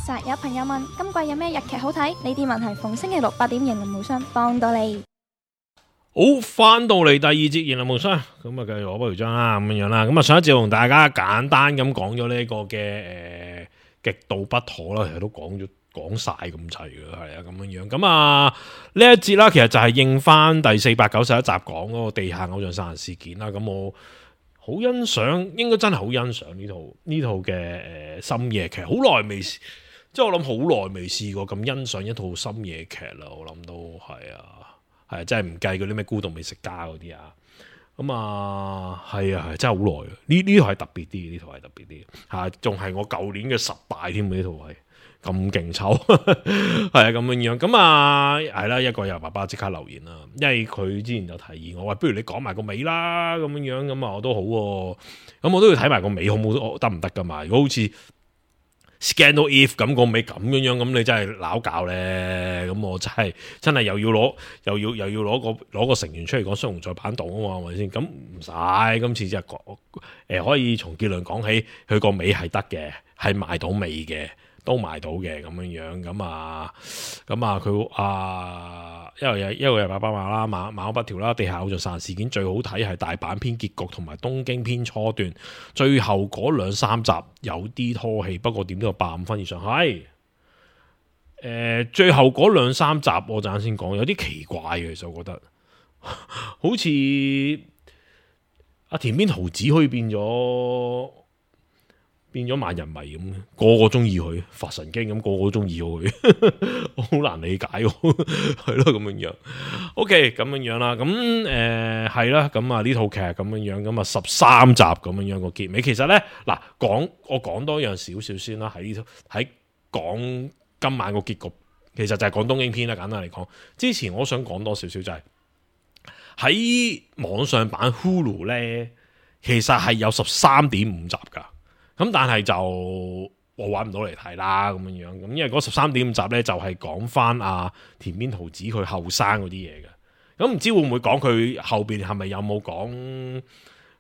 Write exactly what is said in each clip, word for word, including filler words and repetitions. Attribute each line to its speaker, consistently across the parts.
Speaker 1: 實有朋友問今季有咩日劇好睇？呢啲問題逢星期六八點型林無雙幫到你。
Speaker 2: 好，翻到嚟第二節言論無雙，咁啊繼續我不如章啦，咁樣樣啦，咁啊上一節同大家簡單咁講咗呢個嘅誒極度不妥啦，其實都講咗講晒咁齊嘅，係啊咁樣樣，咁啊呢一節啦，其實就係應翻第四百九十一集講嗰個地下偶像殺人事件啦，咁我好欣賞，應該真係好欣賞呢套呢套嘅誒深夜劇，好耐未，即係我諗好耐未試過咁欣賞一套深夜劇啦，我諗都係啊。係真係唔計嗰啲咩孤獨美食家嗰啲啊，咁啊係啊係真係好耐啊！呢呢套係特別啲，呢套係特別啲嚇，仲係我舊年嘅十大添，呢套係咁勁抽，係啊咁樣樣，咁啊係啦，一個有爸爸即刻留言啦，因為佢之前就提議我話，不如你講埋個尾啦咁樣樣，咁啊我都好喎，咁我都要睇埋個尾好唔好得唔得噶嘛？如果好似Scandal If 咁個尾咁樣樣，咁你真係拗教咧，咁我真係真係又要攞又要又要攞個攞個成員出嚟講雙雄再版檔啊嘛，係咪先？咁唔使，今次就講誒可以從結論講起，佢個尾係得嘅，係賣到尾嘅，都賣到嘅咁樣樣，咁啊咁啊佢啊一個又一個又爸爸話啦，馬馬不調啦，地下偶像殺人事件最好睇係大阪篇結局同埋東京篇初段，最後嗰兩三集有啲拖戲，不過點都有八五分以上。係誒、呃，最後嗰兩三集我陣間先講，有啲奇怪嘅，其實我覺得好似阿田邊桃子可以變咗。變咗萬人迷咁，個個中意佢，發神經咁，個個都中意佢，好難理解喎，係咯咁樣樣。OK，咁樣樣啦，咁誒係啦，咁啊呢套劇咁樣樣，咁啊十三集咁樣樣個結尾，其實咧嗱講我講多樣少少先啦，喺呢套喺講今晚個結局，其實就係講東京篇啦。簡單嚟講，之前我想講多少少就係、是、喺網上版 Hulu 咧，其實係有十三點五集噶。咁但係就我揾唔到嚟睇啦，咁樣樣咁，因為嗰十三點五集咧就係講翻阿田邊桃子佢後生嗰啲嘢嘅，咁唔知會唔會講佢後邊係咪有冇講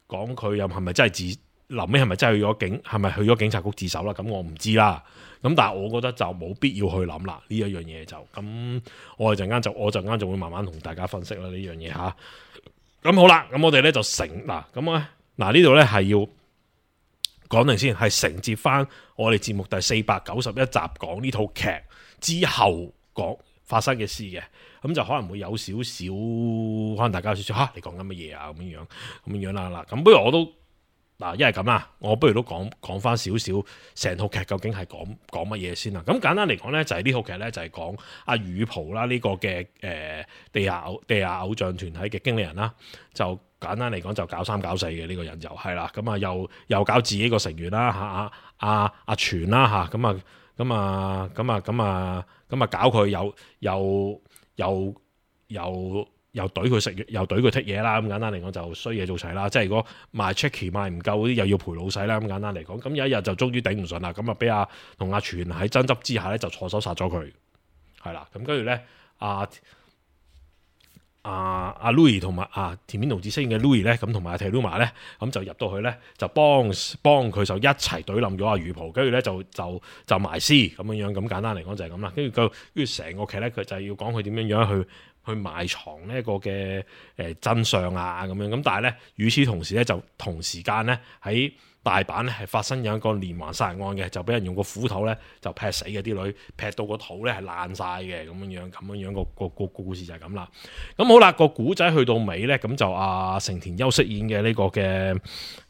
Speaker 2: 講佢又係咪真係自臨尾係咪真係去咗警係咪去咗警察局自首啦？咁我唔知啦，咁但係我覺得就冇必要去諗啦呢一樣嘢就咁，我哋陣間就我陣間就會慢慢同大家分析啦呢樣嘢吓。咁好啦，咁我哋咧就成嗱咁咧嗱呢度咧係要。講定先，係承接翻我哋節目第四百九十一集講呢套劇之後講發生嘅事嘅，咁就可能會有少少，可能大家有少少吓，你講緊乜嘢啊咁樣樣，咁樣樣啦嗱，咁不如我都嗱，一係咁啦，我不如都講講翻少少成套劇究竟係講講乜嘢先啦。咁簡單嚟講咧，就係、是、呢套劇咧就係講阿羽蒲啦呢個嘅誒、呃、地下偶地下偶像團體嘅經理人啦，就。簡單嚟講就搞三搞四嘅呢個人就係啦，咁啊又又搞自己個成員啦嚇，阿阿阿全啦嚇，咁啊咁啊咁啊咁啊咁啊搞佢又又又又又懟佢食又懟佢剔嘢啦，咁簡單嚟講就衰嘢做齊啦，即係如果賣 checky 賣唔夠嗰啲又要賠老細啦，咁簡單嚟講，咁有一日就終於頂唔順啦，咁啊俾阿同阿全喺爭執之下咧就錯手殺咗佢，係啦，咁跟住咧阿。阿阿 Louis 同埋阿田邊桃子飾演嘅 Louis 咧，咁同埋阿 Teluma 咧，咁就入到去咧，就幫幫佢就一齊懟冧咗阿羽蒲，跟住咧就就就埋屍咁樣樣，咁簡單嚟講就係咁啦。跟住佢跟住成個劇咧，佢就係要講佢點樣樣去去埋藏呢一個嘅誒真相啊咁樣。咁但係咧，與此同時咧，就同時間咧喺大阪咧係發生有一個連環殺人案嘅，就俾人用個斧頭咧就劈死嘅，啲女劈到個肚咧係爛晒嘅咁樣樣，咁樣樣個個個故事就係咁啦。咁好啦，個古仔去到尾咧，咁就阿成田優飾演嘅呢個嘅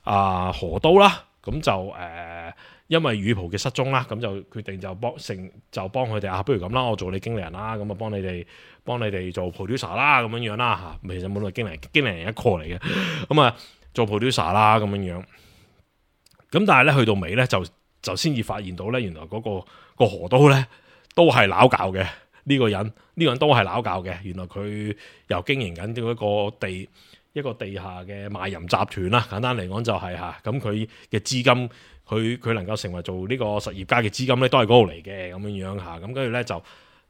Speaker 2: 阿河都啦，咁就誒、呃、因為羽蒲嘅失蹤啦，咁就決定就幫成就幫佢哋啊，不如咁啦，我做你經理人啦，咁啊幫你哋幫你哋做 producer 啦，咁樣樣啦嚇，其實冇論經理人經理人一個嚟嘅，咁啊做 producer 啦咁樣樣。咁但係咧去到尾咧就就先至發現到咧，原來嗰、那個、那個河都咧都係撈教嘅呢個人，呢、這個人都係撈教嘅。原來佢又經營緊一個地一個地下嘅賣淫集團啦。簡單嚟講就係、是、嚇，咁佢嘅資金，佢佢能夠成為做呢個實業家嘅資金咧，都係嗰度嚟嘅咁樣樣嚇。咁跟住咧就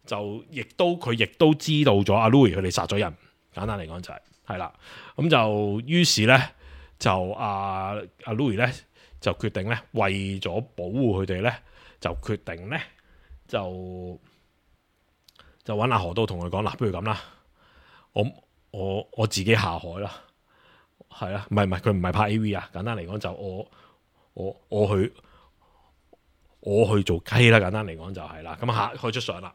Speaker 2: 就亦都佢亦都知道咗阿 Louis 佢哋殺咗人。簡單嚟講就係係啦。咁就於是咧就阿阿 Louis 咧。就決定咧，為咗保護佢哋咧，就決定咧，就就揾阿何都同佢講嗱，不如咁啦，我我我自己下海啦，係啊，唔係唔係佢唔係拍 A V 啊，簡單嚟講就我我我去我去做雞啦，簡單嚟講就係啦，咁下開出相啦，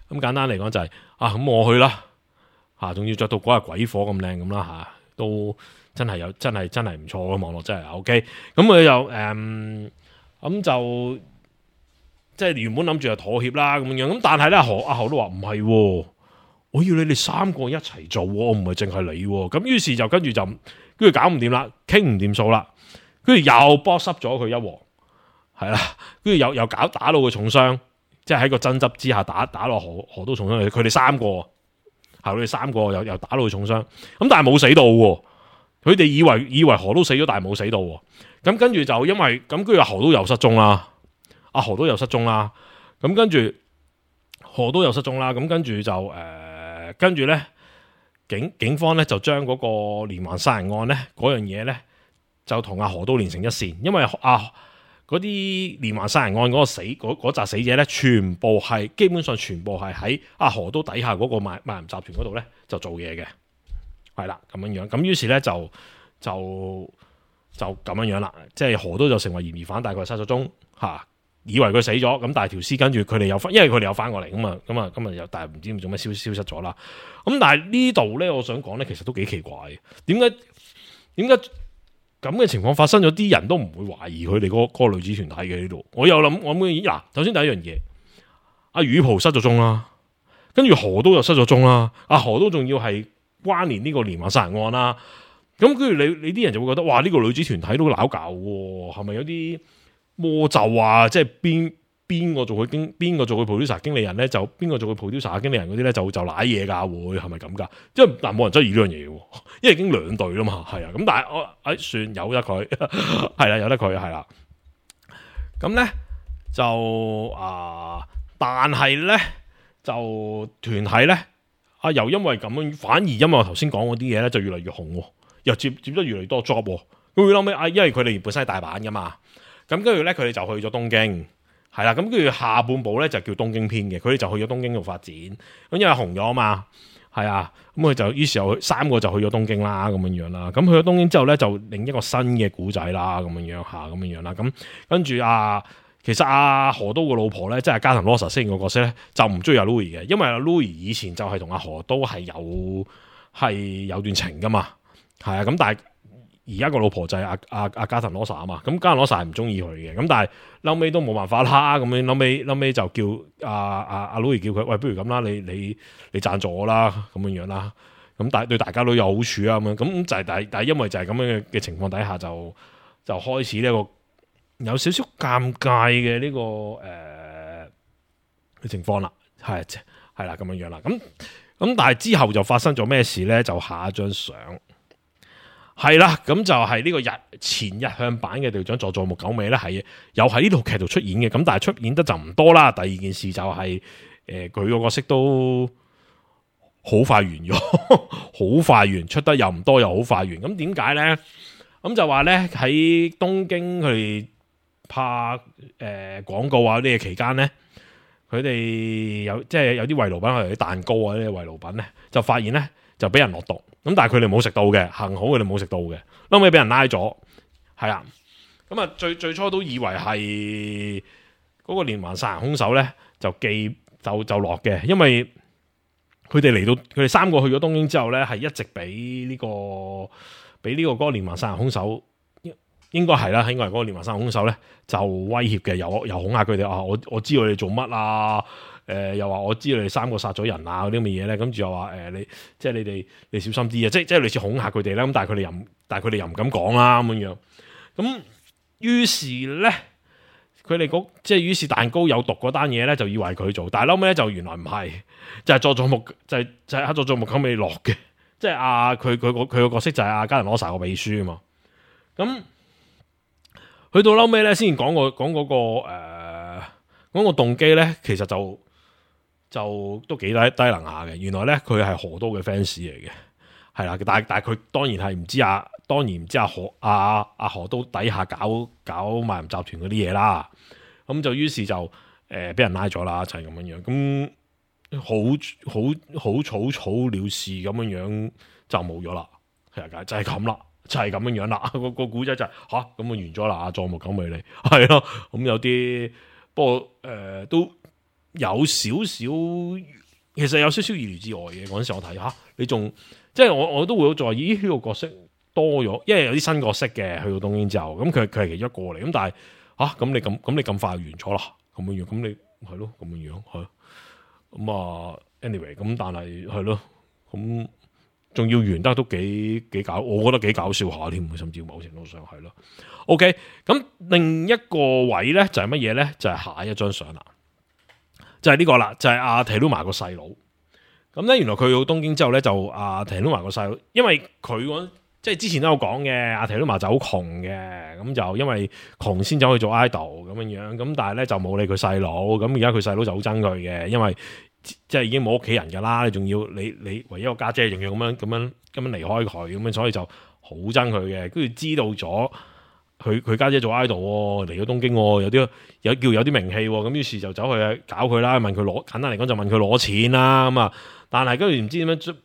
Speaker 2: 咁簡單嚟講就係、是、啊，咁我去啦，嚇，仲要着到嗰日鬼火咁靚咁啦嚇，都真係有真係真係唔錯嘅網絡真係 OK，咁佢又誒咁、嗯、就。即係原本諗住係妥協啦咁樣，咁但係咧何阿何都話唔係，我要你哋三個一齊做，我唔係淨係你。咁於是就跟住就跟住搞唔掂啦，傾唔掂數啦，跟住又波濕咗佢一鑊，係啦，跟住又又搞打到佢重傷，即係喺個爭執之下打打落何何都重傷，佢哋三個係佢哋三個又又打到佢重傷，咁但係冇死到，佢哋以為以為何都死咗，但係冇死到，咁跟住就因為咁，跟住何都又失蹤啦。阿何都又失蹤啦，咁跟住何都又失蹤啦，咁跟住就誒、呃，跟住咧警警方咧就將嗰個連環殺人案咧嗰樣嘢咧就同阿何都連成一線，因為啊嗰啲連環殺人案嗰個死嗰嗰紮死者咧，全部係基本上全部係喺阿何都底下嗰個賣賣淫集團嗰度咧就做嘢嘅，係啦咁樣樣，咁於是咧就就就咁樣樣啦，即係何都就成為嫌疑犯，大概失咗蹤嚇。以為佢死咗，咁但係條屍跟住佢哋有翻，因為佢哋有翻過嚟咁啊，咁啊，咁啊又但係唔知做咩消消失咗啦。咁但係呢度咧，我想講咧，其實都幾奇怪嘅。點解點解咁嘅情況發生咗，啲人都唔會懷疑佢哋嗰嗰個女子團體嘅呢度？我有諗，我諗嗱，首先第一樣嘢，阿宇蒲失咗蹤啦，跟住何都又失咗蹤啦，阿何都仲要係關聯呢個連環殺人案啦。咁跟住你你啲人就會覺得，哇！呢個女子團體都攪搞喎，係咪有啲魔咒啊？即係邊邊個做佢經，邊個做佢 producer 經理人咧？就邊個做佢 producer 經理人嗰啲咧？就就瀨嘢噶，會係咪咁噶？即係但冇人質疑呢樣嘢，因為已經兩隊啦嘛，係啊。咁但係我誒算由得佢，係啦，由得佢係啦。咁咧就啊，但係咧就團體咧啊，又因為咁樣，反而因為我頭先講嗰啲嘢咧，就越嚟越紅，又接接得越嚟越多 job。咁佢後尾啊，因為佢哋本身係大阪噶嘛。咁跟住咧，佢哋就去咗東京，係啦。咁跟住下半部咧就叫東京篇嘅，佢哋就去咗東京度發展。咁因為紅咗啊嘛，係啊。咁佢就於是又三個就去咗東京啦，咁樣樣啦。咁去咗東京之後咧，就另一個新嘅古仔啦，咁樣樣下咁樣樣啦。咁跟住啊，其實阿、啊、何都個老婆咧，即係加藤羅莎飾演個角色咧，就唔中意阿 Louis 嘅，因為阿 Louis 以前就係同阿何都係有係有段情噶嘛，係啊。咁但係而家個老婆就係阿阿阿加藤羅莎啊嘛，咁加藤羅莎係唔中意佢嘅，咁但係後尾都冇辦法啦，咁樣後尾後尾就叫阿阿阿 Louis 叫佢，喂，不如咁啦，你你你贊助我啦，咁樣樣啦，咁但係對大家都有好處啊，咁樣咁就係但係但係因為就係咁樣嘅嘅情況底下，就就開始呢、這個有少少尷尬嘅呢、這個誒嘅、呃、情況啦，係係啦咁樣樣啦，咁咁但係之後就發生咗咩事咧？就下一張相。係啦，咁就係呢個日前日向版嘅隊長佐佐木久美咧，係又喺呢套劇度出演嘅，咁但係出演得就唔多啦。第二件事就係、是、誒，佢、呃、個角色都好快完咗，好快完，出得又唔多，又好快完。咁點解咧？咁就話咧喺東京佢哋拍誒廣、呃、告啊呢個期間咧，佢哋有即係有啲慰勞品，譬如啲蛋糕啊呢啲慰勞品咧，就發現咧就俾人落毒。咁但係佢哋冇食到嘅，幸好佢哋冇食到嘅，後尾俾人拉咗，係啊，咁啊最最初都以為係嗰個連環殺人兇手咧，就記就就落嘅，因為佢哋嚟到佢哋三個去咗東京之後咧，係一直俾呢、這個俾呢個嗰個連環殺人兇手，應該係啦，應該係嗰個連環殺人兇手咧就威脅嘅，又又恐嚇佢哋啊，我我知道你哋做乜啊。誒、呃、又話我知道你哋三個殺咗人啊嗰啲咁嘅嘢咧，跟住又話誒、呃、你即係你哋你小心啲啊，即係即係類似恐嚇佢哋啦。咁但係佢哋又但係佢哋又唔敢講啦咁樣樣。咁於是咧，佢哋嗰即係於是蛋糕有毒嗰單嘢咧，就以為佢做，但係後尾咧就原來唔係，就係佐佐木就係、是、就係黑佐佐木久美落嘅，即係阿佢佢個佢個角色就係阿加藤羅莎個秘書啊嘛。咁去到後尾咧，先講個講嗰個誒、呃、講個動機咧，其實就。就都幾低低能下嘅，原來咧佢係何都嘅 fans 嚟嘅，係啦，但係但係佢當然係唔知啊，當然唔知阿何阿阿何都底下搞搞賣淫集團嗰啲嘢啦，咁就於是就誒俾人拉咗啦，就係咁樣樣。咁好好好草草了事咁樣樣就冇咗啦，係啊，就係咁啦，就係咁樣樣啦。個個古仔就係吓咁啊完咗啦，葬木九尾你係咯。咁有啲不過誒、呃、都有少少，其實有少少意料之外嘅。嗰陣時我睇吓你仲即係我我都會好在意呢、這個角色多咗，因為有啲新角色嘅去到東京之後，咁佢佢係其中一個嚟。咁但係吓咁你咁咁你咁快完咗啦，咁樣樣咁你係咯咁樣樣係。咁啊 ，anyway，咁但係係咯，咁仲要完得都幾幾搞，我覺得幾搞笑下添，甚至某程度上係咯。OK，咁另一個位咧就係乜嘢咧？就係、是、下一張相啦，就係、是、呢個啦，就係阿 Teruma 個細佬。咁咧，原來佢到東京之後咧，就阿 Teruma 個細佬，因為佢即係之前都有講嘅，阿 Teruma 就好窮嘅，咁就因為窮先走去做 idol 咁樣樣，咁但係咧就冇理佢細佬，咁而家佢細佬就好憎佢嘅，因為即係已經冇屋企人噶啦，你仲要你你唯一個家姐仲要咁樣咁樣咁樣離開佢，咁樣所以就好憎佢嘅。跟住知道咗佢佢家姐做 idol 嚟咗東京，有啲有叫有啲名氣，咁於是就走去搞佢啦，問佢攞，簡單嚟講就問佢攞錢啦，咁啊，但係跟住唔知點樣。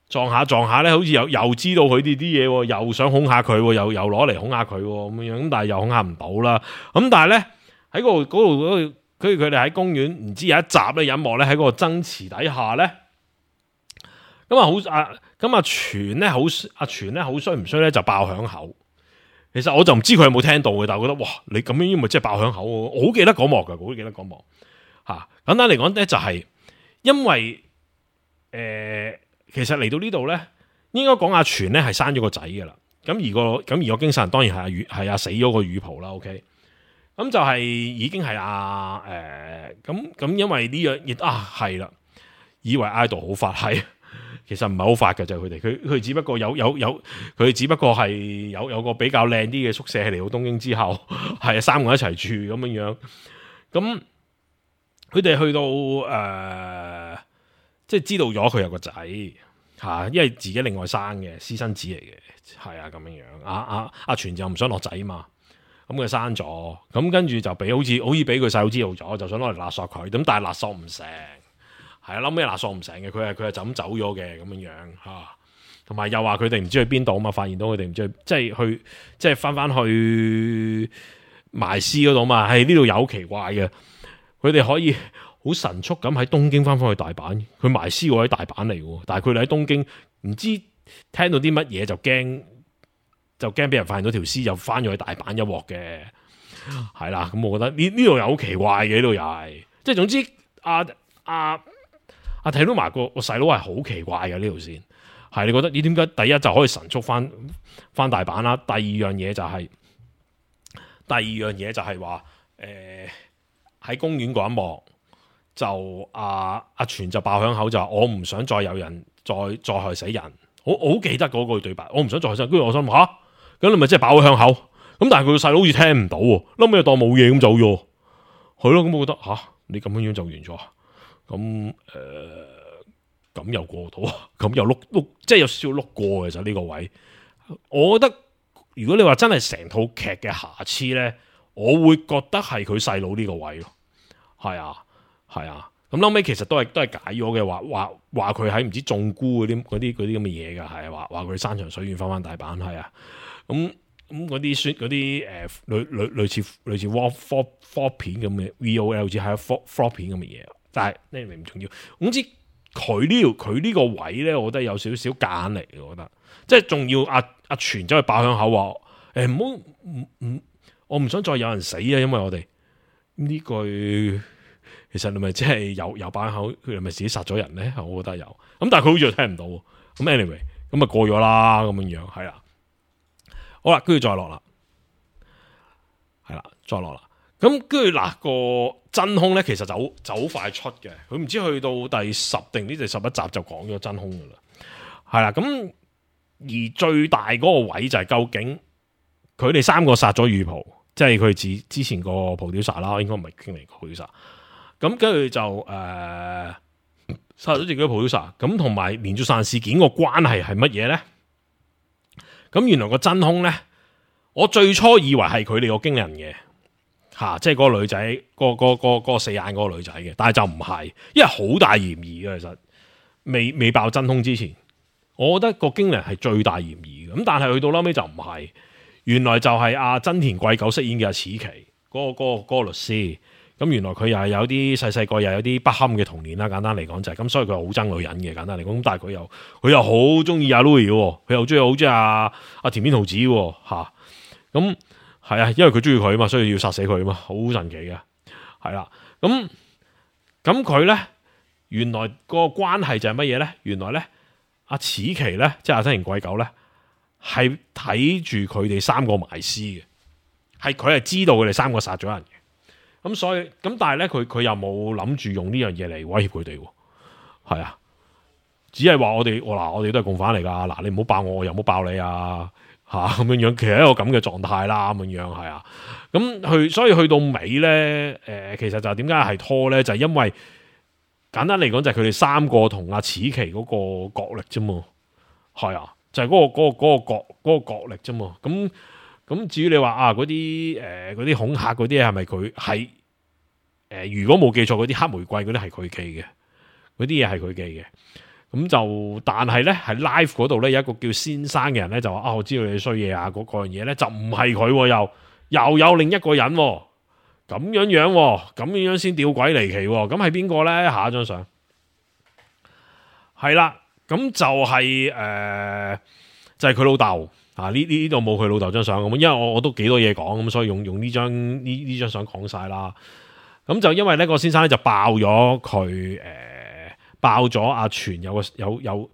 Speaker 2: 撞下撞下咧，好似又又知道佢哋啲嘢，又想恐嚇佢，又又攞嚟恐嚇佢咁樣，咁但係又恐嚇唔到啦。咁但係咧喺嗰度嗰度嗰度，佢佢哋喺公園，唔知有一集咧隱幕咧喺嗰個爭持底下咧，咁啊好啊，咁啊全咧好阿全咧好衰唔衰咧就爆響口。其實我就唔知佢有冇聽到嘅，但係我覺得哇，你咁樣咪即係爆響口，我好記得嗰幕噶，我好記得嗰幕吓。簡單嚟講咧就係因為誒。呃其實嚟到呢度咧，應該講阿全咧係生咗個仔嘅啦。咁而個咁而個經殺人當然係阿羽係阿死咗個羽袍啦。OK，咁就係已經係阿誒咁咁，因為呢樣亦啊係啦，以為 idol 好發係，其實唔係好發嘅就係佢哋，佢佢只不過有有有佢只不過係有有個比較靚啲嘅宿舍嚟到東京之後，係三個人一齊住咁樣樣。咁佢哋去到誒。呃即係知道咗佢有個仔吓，因為自己另外生嘅私生子嚟嘅，係啊咁樣樣。阿阿阿全就唔想落仔嘛，咁佢生咗，咁跟住就俾好似好似俾佢細佬知道咗，就想攞嚟勒索佢，咁但係勒索唔成，係啊，諗咩勒索唔成嘅，佢係佢係就咁走咗嘅咁樣樣吓，同埋又話佢哋唔知去邊度啊嘛，發現到佢哋唔知去即係去即係翻翻去埋屍嗰度嘛，係呢度有好奇怪嘅，佢哋可以。好神速咁喺東京翻返去大阪，佢埋屍喎喺大阪嚟嘅，但係佢哋喺東京唔知聽到啲乜嘢就驚，就驚俾人發現到條屍，就翻咗去大阪一鑊嘅，係啦。咁我覺得呢呢度又好奇怪嘅，呢度又係，即係總之阿阿阿睇到埋個個細佬係好奇怪嘅呢條線，係你覺得你點解第一就可以神速翻翻大阪啦？第二樣嘢就係、是、第二樣嘢就係話誒喺公園嗰一幕。就阿阿全就爆響口就話我唔想再有人再再害死人，我我好記得嗰句對白，我唔想再害死人。跟住我心諗吓，咁你咪即係爆響口，咁但係佢個細佬好似聽唔到，後尾又當冇嘢咁走咗，係咯，咁我覺得吓你咁樣樣就完咗，咁誒咁又過到，咁又碌碌，即係有少少碌過嘅就呢個位。我覺得如果你話真係成套劇嘅瑕疵咧，我會覺得係佢細佬呢個位咯，係啊。係啊，咁後尾其實都係都係解咗嘅，話話話佢喺唔知種菇嗰啲嗰啲嗰啲咁嘅嘢噶，係話話佢山長水遠翻翻大阪，係啊，咁咁嗰啲宣嗰啲誒類類類似類似 vlog vlog 片咁嘅 V O L， 好似係 vlog vlog 片咁嘅嘢，但係呢唔重要。總之佢呢條佢呢個位咧，我覺得有少少夾硬嚟嘅，我覺得即係仲要阿阿全走去爆響口話誒唔好唔唔，我唔想再有人死啊，因為我哋呢句。其實你咪即係有有把口，佢係咪自己殺咗人咧？我覺得有，咁但係佢好似又聽唔到。咁 anyway，咁啊過咗啦，咁樣樣係啦。好啦，跟住再落啦，係啦，再落啦。咁跟住嗱個真兇咧，其實就就好快出嘅。佢唔知去到第十定呢第十一集就講咗真兇噶啦。係啦，咁而最大嗰個位就係究竟佢哋三個殺咗羽袍，即係佢之之前個 producer 啦，應該唔係經理個 producer。咁跟住就誒殺咗自己嘅 producer，咁同埋連續殺人事件個關係係乜嘢咧？咁原來個真兇咧，我最初以為係佢哋個經理人嘅，嚇、啊，即係嗰個女仔，嗰、嗰個嗰、嗰個嗰個四眼嗰個女仔嘅，但係就唔係，因為好大嫌疑嘅其實，未未爆真兇之前，我覺得個經理人係最大嫌疑嘅，咁但係去到後尾就唔係，原來就係阿真田貴久飾演嘅阿矢崎嗰、嗰個嗰、嗰個嗰個律師。咁原來佢又係有啲細細個又有啲不堪嘅童年啦，簡單嚟講就係、是、咁，所以佢好憎女人嘅，簡單嚟講。咁但係佢又佢又好中意阿 Louis 嘅，佢又中意好中意阿阿田邊桃子吓。咁係啊，因為佢中意佢啊嘛，所以要殺死佢啊嘛，好神奇嘅。係啦，咁咁佢咧原來個關係就係乜嘢咧？原來咧阿矢崎咧，即係阿真田貴久咧，係睇住佢哋三個埋屍嘅，係佢係知道佢哋三個殺咗人嘅。咁所以咁，但係咧，佢佢又冇諗住用呢樣嘢嚟威脅佢哋，係啊，只係話我哋我嗱，我哋都係共犯嚟噶，嗱，你唔好爆我，我又唔好爆你啊，吓咁樣樣，其實係一個咁嘅狀態啦，咁樣樣係啊，咁去所以去到尾咧，誒、呃，其實就點解係拖咧？就係、是、因為簡單嚟講，就係佢哋三個同阿矢崎嗰個角力啫嘛，係啊，就係、是、嗰、那個嗰、那個嗰、那個角嗰、那個角力啫嘛，咁。咁至於你話啊嗰啲誒嗰啲恐嚇嗰啲係咪佢係誒？如果冇記錯，嗰啲黑玫瑰嗰啲係佢寄嘅，嗰啲嘢係佢寄嘅。咁就但係咧，喺 live 嗰度咧有一個叫先生嘅人咧就話啊，我知道你衰嘢啊，嗰嗰樣嘢咧就唔係佢，又又有另一個人咁樣樣，咁樣樣先吊詭離奇。咁係邊個咧？下一張相係啦，咁就係、是、誒、呃，就係佢老豆。啊！呢呢度冇佢老豆張相咁，因為我我都幾多嘢講咁，所以用用呢張呢呢張相講晒啦。咁就因為呢個先生咧就爆咗佢誒，爆咗阿全有個有有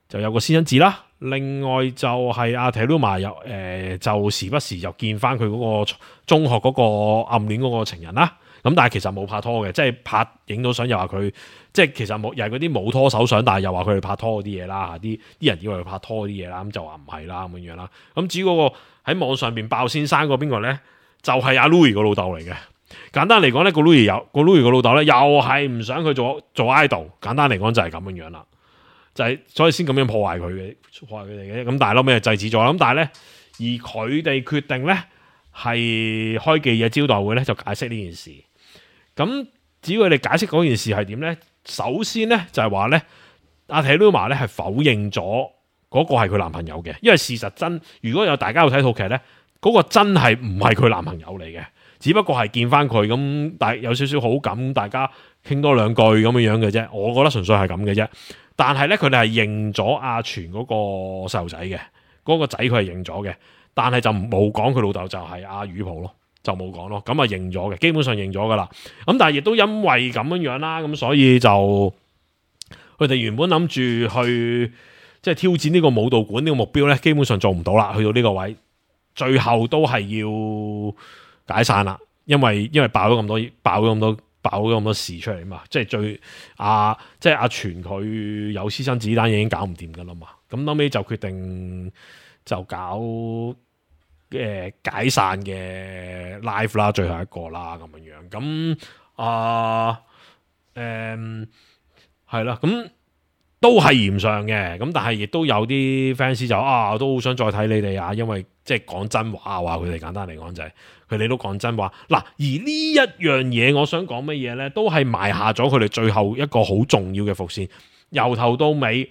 Speaker 2: 就有個私生子啦。另外就係阿 Teruma 又誒，就時不時又見翻佢嗰個中學嗰個暗戀嗰個情人啦。咁但係其實冇拍拖嘅，即係拍影到相又話佢，即係其實冇又係嗰啲冇拖手相，但係又話佢哋拍拖嗰啲嘢啦，啲啲人以為佢拍拖啲嘢啦，咁就話唔係啦咁樣樣啦。咁至於嗰個喺網上邊爆先生個邊個咧，就係、是、阿 Louis 個老豆嚟嘅。簡單嚟講咧，個 Louis 有個 Louis 個老豆咧，又係唔想佢做做 idol。簡單嚟講就係咁樣樣啦，就係、是、所以先咁樣破壞佢嘅，破壞佢哋嘅。咁但係後尾就制止咗。咁但係咧，而佢哋決定咧係開記者招待會咧，就解釋呢件事。咁至於佢哋解釋嗰件事係點咧？首先咧就係話咧，阿 Teruma 咧係否認咗嗰個係佢男朋友嘅，因為事實真如果有大家有睇套劇咧，嗰、嗰個真係唔係佢男朋友嚟嘅，只不過係見翻佢咁，大有少少好感，大家傾多兩句咁樣樣嘅啫。我覺得純粹係咁嘅啫。但係咧，佢哋係認咗阿全嗰個細路仔嘅，嗰、嗰個仔佢係認咗嘅，但係就冇講佢老豆就係阿宇普咯。就冇講咯，咁啊認咗嘅，基本上認咗噶啦。咁但係亦都因為咁樣樣啦，咁所以就佢哋原本諗住去即係挑戰呢個武道館呢個目標咧，基本上做唔到啦。去到呢個位，最後都係要解散啦，因為因為爆咗咁多，爆咗咁多，爆咗咁多事出嚟嘛。即係最阿即係阿全佢有私生子單嘢已經搞唔掂噶啦嘛。咁後尾就決定就搞。嘅解散嘅 live 啦，最後一個啦，咁樣樣咁啊，誒係啦，咁都係嫌上嘅，咁但係亦都有啲 fans 就啊，我都好想再睇你哋啊，因為即係講真話，話佢哋簡單嚟講就係佢哋都講真話嗱，而呢一樣嘢，我想講乜嘢咧，都係埋下咗佢哋最後一個好重要嘅伏線，由頭到尾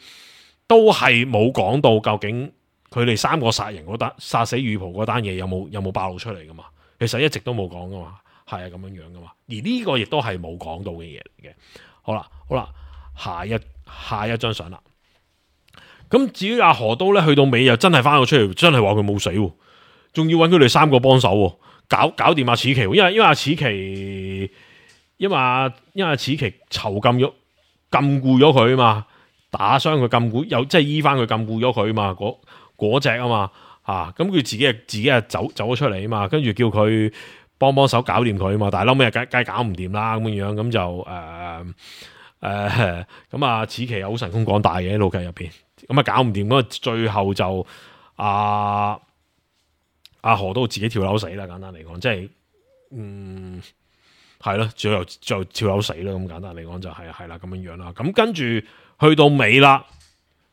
Speaker 2: 都係冇講到究竟。佢哋三個殺人嗰單殺死宇蒲嗰單嘢有冇有冇爆露出嚟噶嘛？其實一直都冇講噶嘛，係啊咁樣樣噶嘛。而呢個亦都係冇講到嘅嘢嚟嘅。好啦，好啦，下一下一張相啦。咁至於阿河都咧，去到尾又真係翻到出嚟，真係話佢冇死，仲要揾佢哋三個幫手，搞搞掂阿矢崎。因為因為阿矢崎，因為阿因為阿矢崎囚禁咗禁錮咗佢啊嘛，打傷佢禁錮，又即係醫翻佢禁錮咗佢啊嘛，嗰嗰隻啊嘛，吓咁佢自己啊自己啊走走咗出嚟啊嘛，跟住叫佢幫幫手搞掂佢啊嘛，但係撈尾梗梗搞唔掂啦咁樣樣，咁就誒誒咁啊，矢崎又好神功廣大嘅喺老劇入邊，咁啊搞唔掂，咁啊最後就阿阿河都自己跳樓死啦，簡單嚟講，即係嗯係咯，最後就跳樓死啦，咁簡單嚟講就係係啦咁樣樣啦，咁跟住去到尾啦，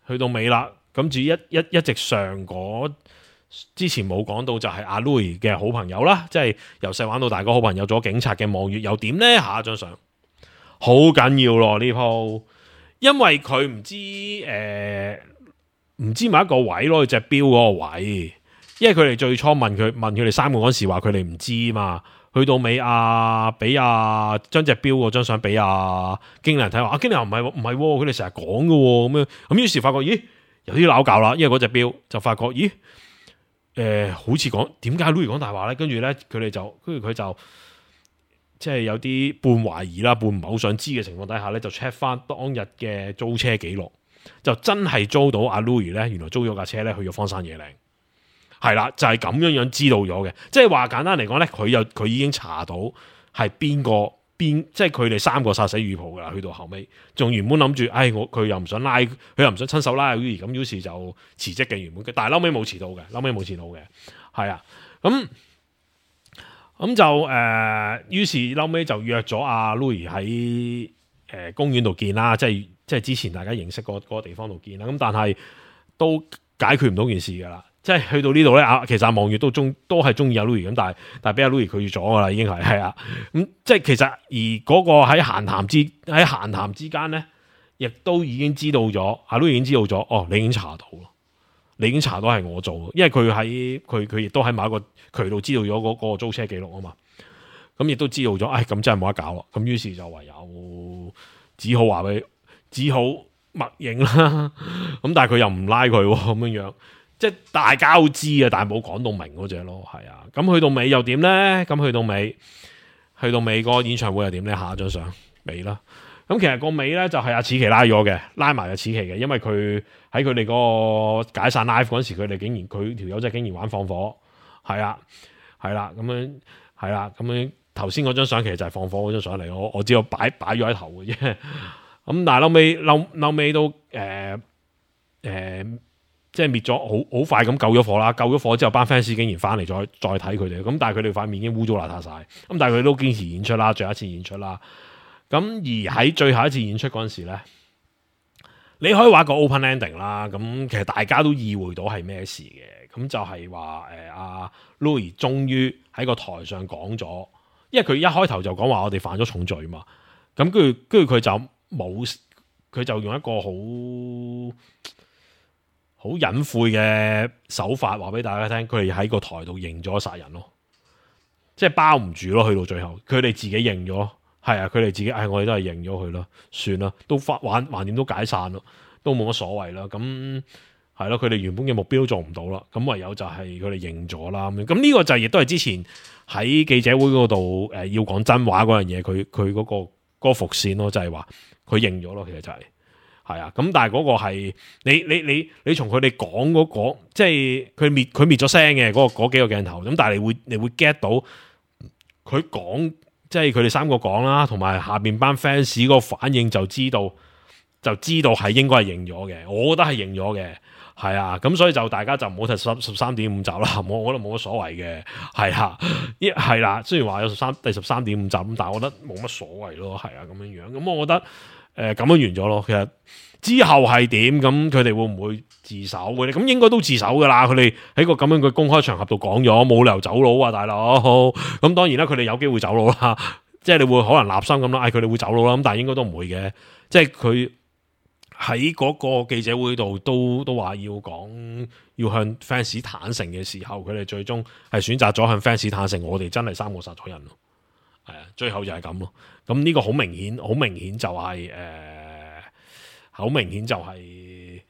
Speaker 2: 去到尾啦。咁至於一一一直上嗰之前冇講到就係阿 Louis 嘅好朋友啦，即係由細玩到大個好朋友，做警察嘅望月又點呢？下一張相好緊要咯呢鋪，因為佢唔知誒唔知某一個位攞隻錶嗰個位，因為佢哋最初問佢問佢哋三個嗰時話佢哋唔知嘛。去到尾啊，俾啊將隻錶嗰張相俾啊經理人睇話，啊經理人唔係唔係，佢哋成日講嘅咁樣，咁於是發覺咦有啲拗教啦，因為嗰隻錶就發覺咦誒、呃、好似講點解 Louis 講大話咧？跟住咧佢哋就跟住佢就即係有啲半懷疑啦，半唔係好想知嘅情況底下咧，就 check 翻當日嘅租車記錄，就真係租到阿 Louis 咧，原來租咗架車咧去咗荒山野嶺。係啦，就係、是、咁樣樣知道咗嘅，即係話簡單嚟講咧，佢又佢已經查到係邊個邊，即係佢哋三個殺死雨袍噶啦。去到後尾，仲原本諗住，唉，我佢又唔想拉，佢又唔想親手拉 Louis，咁於是就辭職嘅原本，但係後尾冇辭到嘅，後尾冇辭到嘅，係啊，咁咁就誒，於、呃、是後尾就約咗阿 Louis 喺誒公園度見啦，即係即係之前大家認識嗰嗰個地方度見啦，咁但係都解決唔到件事噶啦。即係去到呢度咧，啊，其實阿望月都中都係中意阿 Louis 咁，但係但係俾阿 Louis 拒絕咗噶啦，已經係係啊，咁即係其實而嗰個喺閒談之喺閒談之間咧，亦都已經知道咗，阿 Louis 已經知道咗，哦，你已經查到咯，你已經查到係我做，因為佢喺佢佢亦都喺某一個渠道知道咗嗰個租車記錄啊嘛，咁亦都知道咗，唉、哎，咁真係冇得搞啦，咁於是就唯有只好話俾，只好默認啦，咁但係佢又唔拉佢咁樣樣。即係大家都知啊，但係冇講到明嗰隻咯，係啊。咁去到尾又點咧？咁去到尾，去到尾個演唱會又點咧？下一張相尾啦。咁其實個尾咧就係阿此奇拉咗嘅，拉埋阿此奇嘅，因為佢喺佢哋嗰個解散 live 嗰陣時，佢哋竟然佢條友仔竟然玩放火，係啊，係啦，咁樣係啦，咁樣頭先嗰張相其實就係放火嗰張相嚟，我我只有擺擺咗喺頭嘅啫。咁但係後尾後後尾都誒誒。呃呃即係滅咗，好好快咁救咗火啦！救咗火之後，班 fans 竟然翻嚟再再睇佢哋，咁但係佢哋塊面已經污糟邋遢晒，咁但係佢都堅持演出啦，最後一次演出啦。咁而喺最後一次演出嗰陣時咧，你可以話個 open ending 啦。咁其實大家都意會到係咩事嘅，咁就係話誒阿 Louis 終於喺個台上講咗，因為佢一開頭就講話我哋犯咗重罪嘛。咁跟住跟住佢就冇，佢就用一個好好隱晦嘅手法話俾大家聽，佢哋喺個台度認咗殺人咯，即係包唔住咯。去到最後，佢哋自己認咗，係啊，佢哋自己，唉，我哋都係認咗佢啦，算啦，都發玩橫掂都解散咯，都冇乜所謂啦。咁係咯，佢哋原本嘅目標都做唔到啦，咁唯有就係佢哋認咗啦。咁咁呢個就亦都係之前喺記者會嗰度誒要講真話嗰樣嘢，佢佢嗰個嗰、嗰個伏線咯，就係話佢認咗咯，其實就係、是。係啊，咁但係嗰個係你你你你從佢哋講嗰個，即係佢滅佢滅咗聲嘅嗰個嗰幾個鏡頭，咁但係你會你會 get 到佢講，即係佢哋三個講啦，同埋下邊班 fans 個反應就知道就知道係應該係認咗嘅，我覺得係認咗嘅，係啊，咁所以就大家就唔好睇十十三點五集啦，我我覺得冇乜所謂嘅，係啊，一係啦，雖然話有十三第十三點五集咁，但係我覺得冇乜所謂咯，係啊，咁樣樣，咁我覺得。誒、呃，咁樣完咗咯。其實之後係點咁，佢哋會唔會自首嘅咧？咁應該都自首噶啦。佢哋喺個咁樣嘅公開場合度講咗，冇理由走佬啊，大佬。咁當然啦，佢哋有機會走佬啦。即係你會可能立心咁啦，嗌佢哋會走佬啦。咁但係應該都唔會嘅。即係佢喺嗰個記者會度都都話要講，要向 fans 坦誠嘅時候，佢哋最終係選擇咗向 fans 坦誠。我哋真係三個殺咗人咯。係啊，最後就係咁咯。咁呢個好明顯，好明顯就係、是、誒，好、呃、明顯就係、是、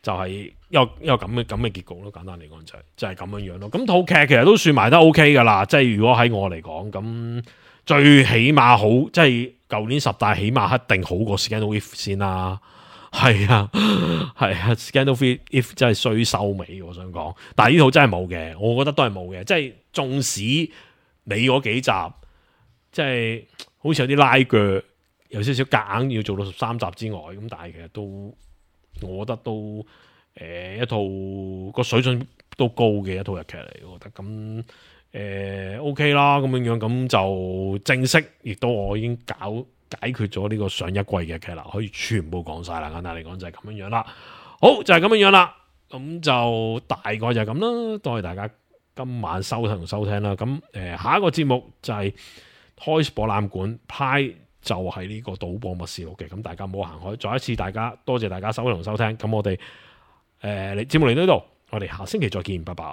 Speaker 2: 就係、是、有一個咁嘅咁嘅結局咯。簡單嚟講就係就係咁樣樣咯。咁套劇其實都算埋得 OK 噶啦。即係如果喺我嚟講，咁最起碼好，即係舊年十大起碼一定好過 Scandal If 先啦。係啊，係啊 ，Scandal If 真係衰收尾，我想講。但係呢套真係冇嘅，我覺得都係冇嘅。即係縱使你嗰幾集。即係好似有啲拉鋸，有少少夾硬要做到十三集之外，咁但係其實都，我覺得都誒、呃、一套個水準都高嘅一套日劇嚟，我覺得咁誒、呃、OK 啦，咁樣樣咁就正式，亦都我已經搞解決咗呢個上一季嘅劇啦，可以全部講晒啦，簡單嚟講就係咁樣樣啦。好就係咁樣樣啦，咁咁就大概就係咁啦。多謝大家今晚收聽同收聽啦。咁誒、呃，下一個節目就係開博覽館派，就係呢個賭博默示錄嘅。咁大家唔好行開。再一次，大家多謝大家收聽同收聽。咁我哋誒，你、呃、節目嚟到呢度，我哋下星期再見，拜拜。